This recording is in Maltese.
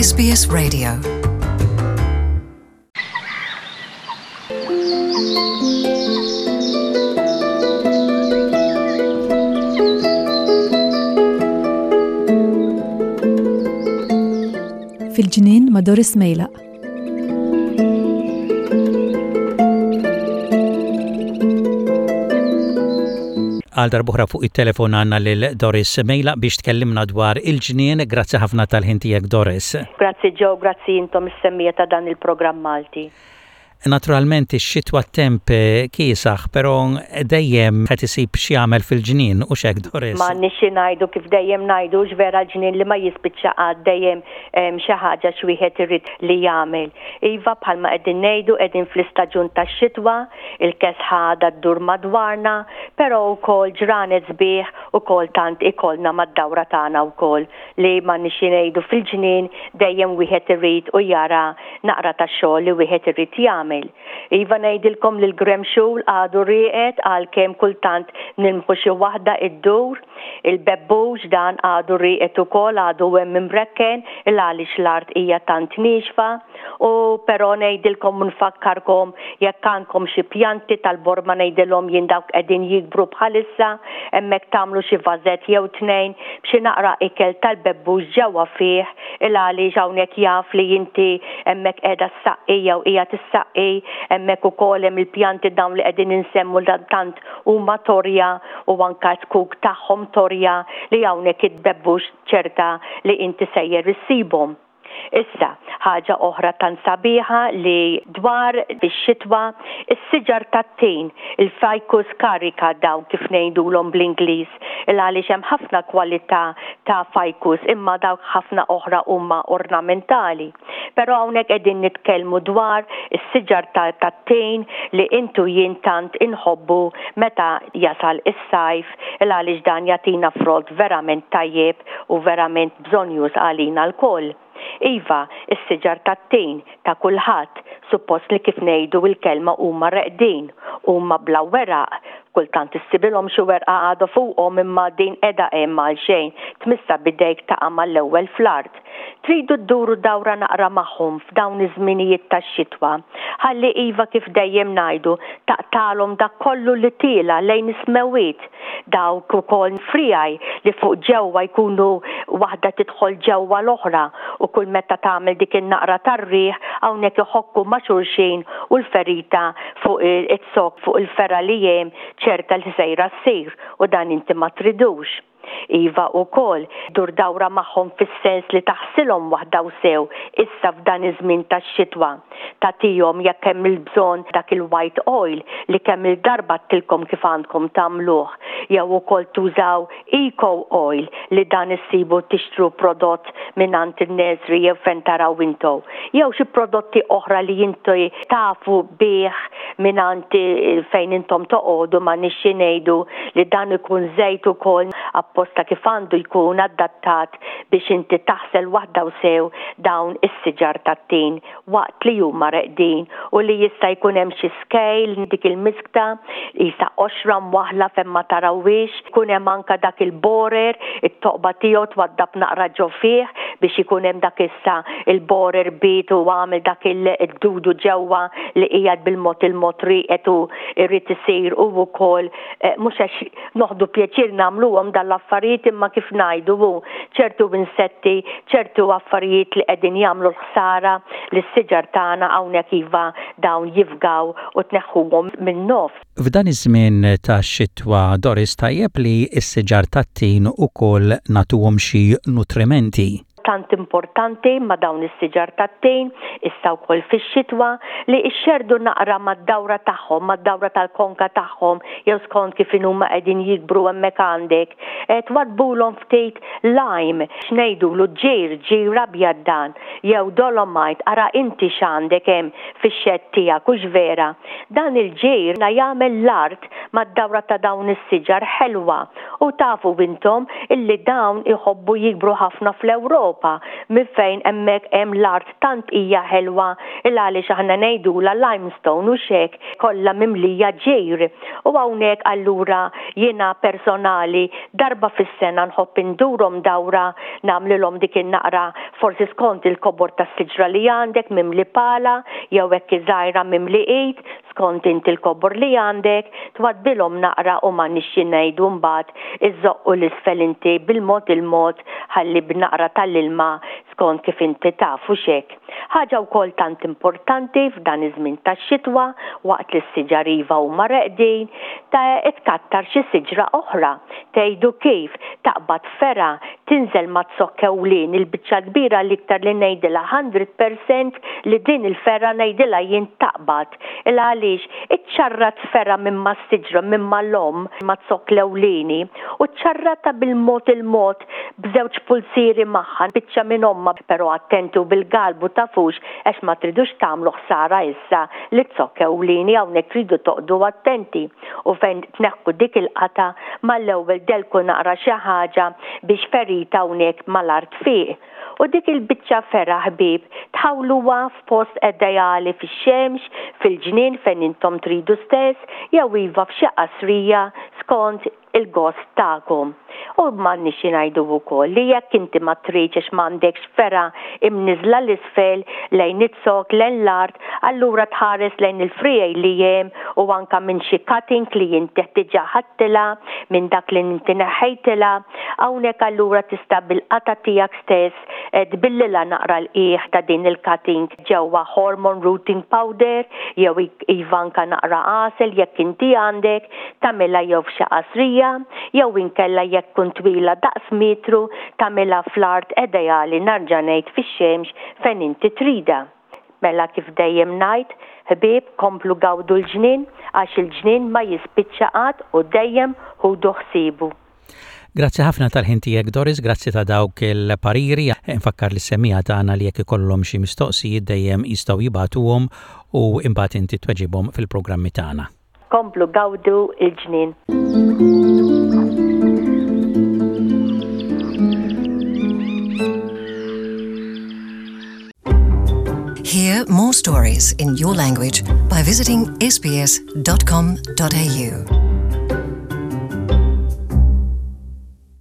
SBS Radio. Fil-ġnien ma' Doris Mejlaq. Għal darbuħra fuq it-telefon għanna lil Doris Mejla biex tkellimna dwar il-ġnien. Grazzi ħafna tal-ħin tiegħek Doris. Grazzi Joe, grazzi intom is-semmija ta' dan il-programm Malti. Naturalment ix-xitwa t-temp kiesaħ, però dejjem qed isib x'jagħmel fil-ġnien u x'hekk Doris. M'għandniex xi ngħidu kif dejjem ngħidu hux vera l-ġnien li ma jispiċċa qatt dejjem hemm xi ħaġa x'wieħed irid li jagħmel. Iva bħalma qegħdin ngħidu qegħdin fl-istaġun tax-xitwa, il-kesħa għadha ddur madwarna, però wkoll ġranet sbieħ ukoll tant ikollna mad-dawra tagħna wkoll li m'għandniex xi ngħidu fil-ġnien dejjem wieħed irid u jara naqra ta' xogħol li wieħed irid jagħmel. Iva ngħidilkom li l-gremxul għadu rieqed għalkemm kultant nilmħu xi waħda iddur. Il-bebbux dan għadu rieqed ukoll għadu hemm imrekken il għaliex l-art hija tant niexfa. U però ngħidilkom u nfakkarkom jekk għandkom xi pjanti tal-borma ngħidilhom jien dawk qegħdin jikbru bħalissa hemmhekk tagħmlu xi vażett jew tnejn b'xi naqra ikel tal-bebbux ġewwa fih il għaliex hawnhekk jaf li inti hemmhekk qiegħda ssaqqi jew qiegħed issaqqi hemmhekk ukoll hemm il-pjanti dawn li qegħdin insemmu tant huma torja u anke z-zkuk tagħhom torja li hawnhekk it-bebbux ċerta li inti sejjer issibhom. Issa, ħaġa oħra tant sabiħa li dwar fix-xitwa, is-siġar tat-tin, il-ficus carica dawn kif ngħidulhom bl-Ingliż, il għaliex hemm ħafna kwalità ta' ficus imma dawk ħafna oħra huma ornamentali. Però hawnhekk qegħdin nitkellmu dwar is-siġar tat-tin li int u jien tant inħobbu meta jasal is-sajf il għaliex dan jagħtina frott verament tajjeb u verament bżonnjuż għalina lkoll. Iva, is-siġar tat-tin, ta' kulħadd, suppost li kif ngħidu l-kelma huma reqdin, huma bla weraq, kultant issibilhom xi werqa għadha fuqhom imma din qiegħda hemm għalxejn, tmissha b'idejk taqa' mal-ewwel fl-art. Tridu dduru dawra naqra magħhom f'dawn iż-żminijiet tax-xitwa, ħalli iva kif dejjem ngħidu, taqtagħlhom dak kollu li tiela' lejn is-smewwiet. Dawk ukoll friegħi li fuq ġewwa jkunu waħda tidħol ġewwa l-oħra u kull meta tagħmel dik in-naqra tar-riħ hawnhekk iħokku ma' xulxin u l-ferita fuq iz-zokk fuq il-fergħa li hemm ċerta li sejra ssir u dan inti ma tridux. Iva ukoll, dur dawra magħhom fis-sens li taħsilhom waħda u sew issa f'dan iż-żmien tax-xitwa. Tagħtihom jekk hemm il-bżonn dak il-white oil li kemm-il darba għedtilkom kif għandkom tagħmluh jew ukoll tużaw eco oil li dan issibu tixtru prodott mingħand in-nursery jew fejn taraw intom jew xi prodotti oħra li inti tafu bih mingħand fejn intom toqogħdu m'għandniex xi ngħidu li dan ikun żejt ukoll apposta kif għandu jkun adattat biex inti taħsel waħda u sew dawn is-siġar tat-tin waqt li huma reqdin u li jista' jkun hemm xi scale dik il-miskta qisha qoxra mwaħħla fejn ma tarawhiex, ikun hemm anke dak il-borer, it-toqba tiegħu twaddab naqra ġo fih biex ikun hemm dak issa il-borer biet u għamel dak il-dudu ġewwa li qiegħed bil-mod il-mod rieqed u jrid isir hu wkoll mhux għax noħdu pjaċir nagħmluhom dan l-affarijiet imma kif ngħidu hu ċertu insetti, ċertu affarijiet li qegħdin jagħmlu l-ħsara lis-siġar tagħna hawnhekk iva dawn jifgaw u tneħħuhom min-nofs. F'dan iż-żmien tax-xitwa Doris tajjeb li s-siġar tat-tin ukoll nagħtuhom xi nutrimenti. tant importanti ma' dawn is-siġar tat-tin, issa wkoll fix-xitwa, li ixxerrdu naqra mad-dawra tagħhom, mad-dawra tal-konka tagħhom jew skont kif inhuma qegħdin jikbru hemmhekk għandek, twaddbulhom ftit lime, x'ngħidulu ġir, ġir abjad dan, jew dolomite, ara inti x'għandek hemm fix-xedd tiegħek, hux vera? Dan il-ġir jagħmel l-art mad-dawra ta' dawn is-siġar ħelwa u tafu intom illi dawn iħobbu jikbru ħafna fl-Ewropa. l-Ewropa minn fejn hemmhekk hemm l-art tant hija ħelwa il għaliex aħna ngħidulha limestone hux hekk, kollha mimlija ġir. U hawnhekk allura jiena personali darba fis-sena nħobb indurhom dawra nagħmlilhom dik in-naqra forsi skont il-kobor tas-siġra li għandek mimli pala jew hekk żgħira mimli id, skont int il-kobor li għandek, twaddbilhom naqra u m'għandniex xi ngħidu mbagħad iżżoqqu 'l isfel inti bil-mod il-mod ħalli b'naqra tal-ilma skont kif inti taf hux hekk. Ħaġa wkoll tant importanti f'dan iż-żmien tax-xitwa waqt li s-siġar iva huma reqdin, ta' tkattar xi siġra oħra. Tgħidu kif? Taqbad fergħa, tinżel ma' zokk ewlieni l-biċċa l-kbira l-iktar li ngħidilha 100% li din il-fergħa ngħidilha jien taqbad. Il għaliex iċċarrat fergħa minn mas-siġra minn mal-omm ma' zokk l-ewlieni u ċċarratha bil-mod il-mod b'żewġ pulzieri magħha biċċa minn ommha però attenti u bil-galbu tafux għax ma tridux tagħmlu ħsara issa liz-zokk ewlieni hawnhekk tridu toqgħdu attenti u fejn tneħħu dik il-qatgħa mal-ewwel delku naqra xi ħaġa biex ferita hawnhekk mal-art tfiq. U dik il-biċċa fergħa ħbieb tħawluha f'post ideali fix-xemx, fil-ġnien fejn intom tridu stess, jew iva f'xi qasrija skont il-gost tagħkom. U m'għandniex xi ngħidu wkoll li jekk inti ma tridx għax m'għandekx fergħa imniżżla 'l isfel lejn iz-zokk, lejn l-art, allura tħares lejn il-friegħi li hemm u anke minn xi cutting li inti diġà ħadtilha, minn dak li inti neħħejtilha. Hawnhekk allura tista' bil-qatgħa tiegħek stess tbillilha naqra l-qiegħ ta' din il-cutting ġewwa hormone rooting powder jew iva anke naqra għasel jekk inti għandek, tagħmilha jew f'xi qasrija jew inkella jekk tkun twila daqs metru tagħmilha fl-art ideali narġa' ngħid fix-xemx fejn inti tridha. Mela kif dejjem ngħid, ħbieb komplu gawdu l-ġnien għax il-ġnien ma jispiċċa qatt u dejjem ħudu ħsiebu. Grazzi ħafna tal-ħin tiegħek Doris, grazzi ta' dawk il-pariri. Infakkar lis-semmiegħa tagħna li jekk ikollhom xi mistoqsijiet dejjem jistgħu jibagħtuhom u imbagħad inti tweġibhom fil-programmi tagħna. Komplu gawdu l-ġnien. Hear more stories in your language by visiting sbs.com.au.